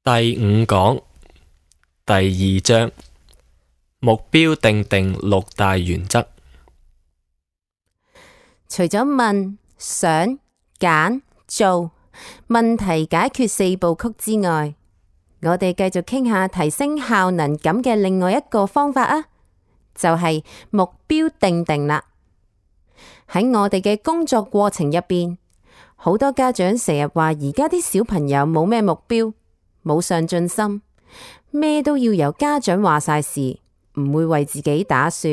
第五講第二章目標訂定六大原則。除咗問、想、揀、做，問題解決四部曲之外，我哋繼續傾下提升效能感嘅另外一個方法啊，就係目標訂定啦。喺我哋嘅工作過程入邊，好多家長成日話而家啲小朋友冇咩目標，冇上進心，咩都要由家長話晒事，唔會為自己打算。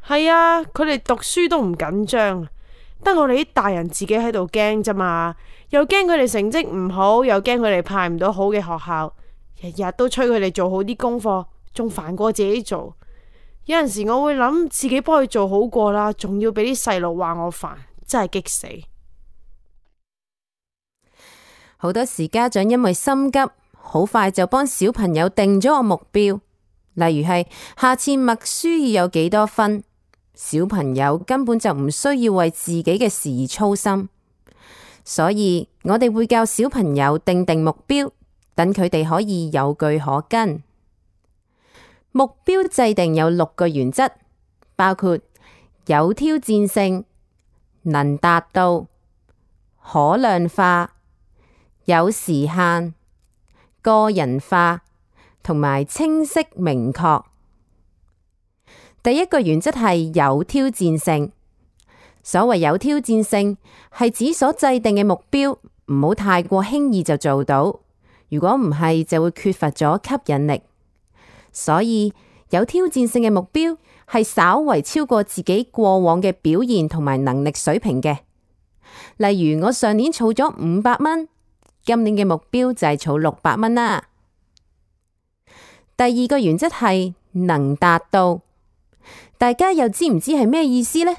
係啊，佢哋讀書都唔緊張，得我哋啲大人自己喺度驚咋嘛，又驚佢哋成績唔好，又驚佢哋派唔到好嘅學校，日日都催佢哋做好啲功課，仲煩過自己做。有陣時我會諗自己幫佢做好過啦，仲要俾啲細路話我煩，真係激死。好多時家長因為心急，好快就幫小朋友定咗個目標，例如係下次默書要有幾多分，小朋友根本就唔需要為自己嘅事而操心。所以我哋會教小朋友定目標，等佢哋可以有據可跟。目標制定有6個原則，包括有挑戰性、能達到、可量化、有時限、個人化同埋清晰明確。第一個原則係有挑戰性。所謂有挑戰性，係指所制定嘅目標唔好太過輕易就做到，如果唔係就會缺乏咗吸引力。所以有挑戰性嘅目標係稍為超過自己過往嘅表現同埋能力水平嘅。例如我上年儲咗500蚊，今年嘅目標就係儲600蚊啦。第二個原則係能達到，大家又知唔知係咩意思呢？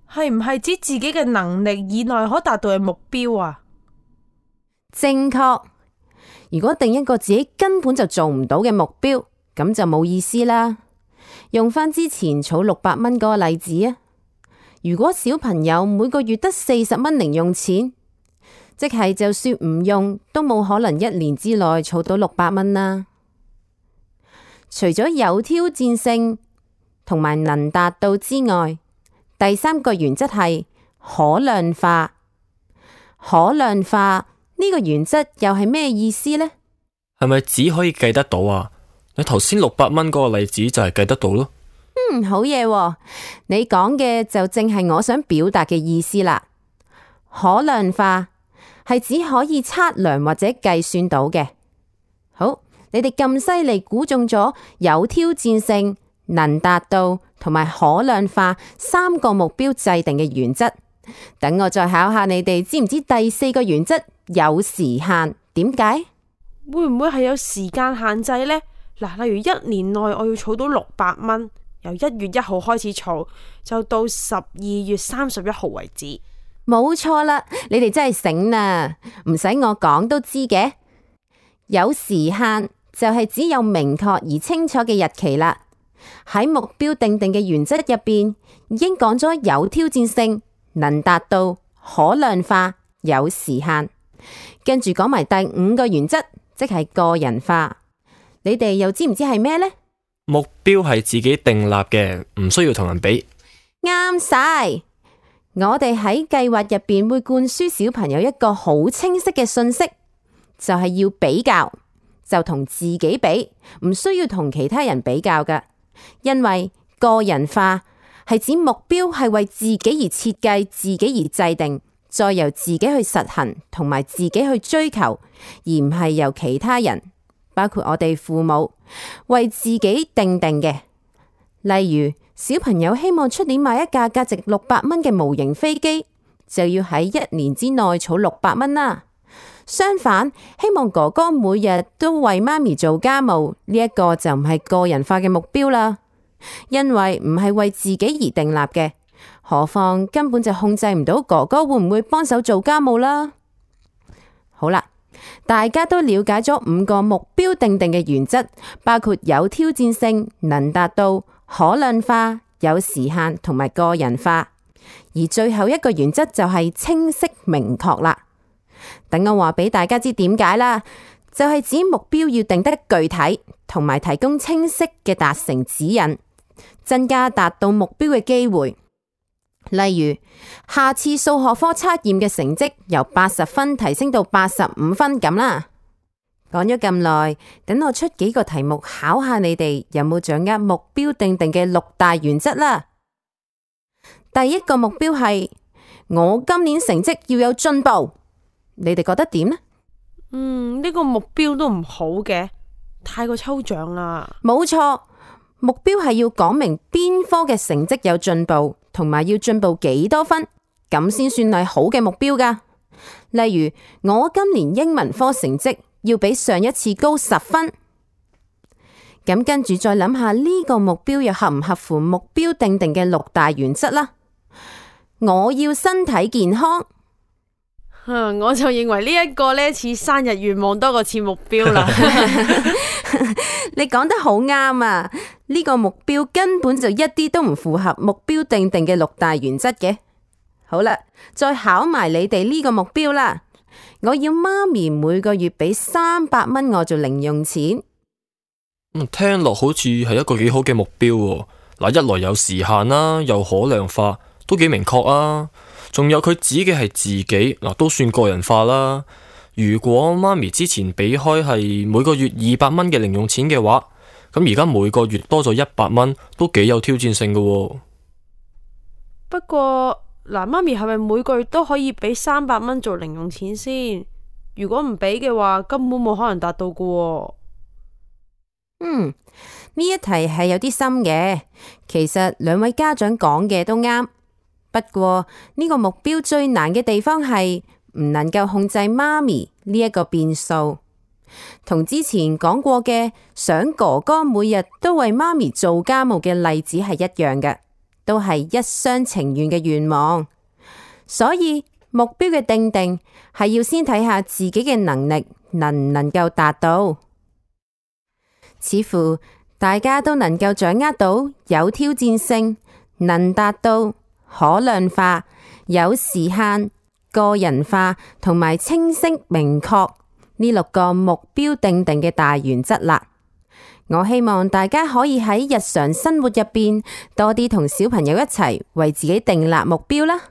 係唔係指自己嘅能力以內可達到嘅目標啊？正確。如果定一個自己根本就做唔到嘅目標，咁就冇意思啦。用返之前儲600蚊嗰個例子啊，如果小朋友每個月得40蚊零用錢，即係就算唔用，都冇可能1年之內儲到600蚊啦。除咗有挑戰性同埋能達到之外，第3個原則係可量化。可量化呢個原則又係咩意思呢？係咪只可以計得到啊？你頭先600蚊嗰個例子就係計得到咯。好嘢喎，你講嘅就正係我想表達嘅意思啦。可量化係指可以測量或者計算到嘅。好，你哋咁犀利估中咗有挑戰性、能達到同埋可量化3個目標制定嘅原則。等我再考下你哋，知唔知第4個原則有時限？點解？會唔會係有時間限制呢？嗱，例如1年內我要儲到600蚊，由1月1號開始儲，就到12月31號為止。冇錯啦，你哋真係醒啦，唔使我講都知嘅。有時限就係指有明確而清楚嘅日期啦。喺目標訂定嘅原則入邊，已經講咗有挑戰性、能達到、可量化、有時限。跟住講埋第5個原則，即係個人化。你哋又知唔知係咩呢？目標係自己訂立嘅，唔需要同人比。啱晒。我哋喺計劃入邊會灌輸小朋友一個好清晰嘅信息，就係要比較，就同自己比，唔需要同其他人比較㗎。因為個人化係指目標係為自己而設計，自己而制定，再由自己去實行同埋自己去追求，而唔係由其他人，包括我哋父母為自己定嘅。例如小朋友希望出年買一架價值600蚊嘅模型飛機，就要喺1年之內儲600蚊啦。相反，希望哥哥每日都為媽咪做家務，呢一個就唔係個人化嘅目標啦，因為唔係為自己而訂立嘅，何況根本就控制唔到哥哥會唔會幫手做家務啦。好啦，大家都了解咗5個目標訂定嘅原則，包括有挑戰性、能達到、可量化、有時限同埋個人化，而最後一個原則就係清晰明確啦。等我話俾大家知點解啦，就係指目標要定得具體，同埋提供清晰嘅達成指引，增加達到目標嘅機會。例如，下次數學科測驗嘅成績由80分提升到85分咁啦。講咗咁耐，等我出幾個題目考下你哋有冇掌握目標定定嘅6大原則啦。第一個目標係我今年成績要有進步，你哋覺得點呢？呢個目標都唔好嘅，太過抽象啦。冇錯，目標係要講明邊科嘅成績有進步，同埋要進步幾多分，咁先算係好嘅目標噶。例如，我今年英文科成績要比上一次高10分，咁跟住再諗下呢個目標又合唔合乎目標定定嘅6大原則啦。我要身體健康，我就認為呢一個呢似生日願望多過似目標啦。你講得好啱啊！呢個目標根本就一啲都唔符合目標定定嘅6大原則嘅。好啦，再考埋你哋呢個目標啦。我要媽咪每個月俾300蚊我做零用錢。聽落好似係一個幾好嘅目標喎。嗱，一來有時限啦，又可量化，都幾明確啊。仲有佢指嘅係自己，嗱，都算個人化啦。如果媽咪之前俾開係每個月200蚊嘅零用錢嘅話，咁而家每個月多咗100蚊，都幾有挑戰性㗎喎。不過嗱，媽咪係咪每個月都可以俾300蚊做零用錢先？如果唔俾嘅話，根本冇可能達到㗎喎。呢一題係有啲深嘅，其實兩位家長講嘅都啱。不過呢個目標最難嘅地方係唔能夠控制媽咪呢一個變數，同之前講過嘅想哥哥每日都為媽咪做家務嘅例子係一樣嘅，都係一廂情願嘅願望。所以目標嘅定定係要先睇下自己嘅能力能唔能夠達到。似乎大家都能夠掌握到有挑戰性、能達到、可量化、有時限、個人化同埋清晰明確呢6個目標定定嘅大原則啦。我希望大家可以喺日常生活入邊多啲同小朋友一齊為自己訂立目標啦。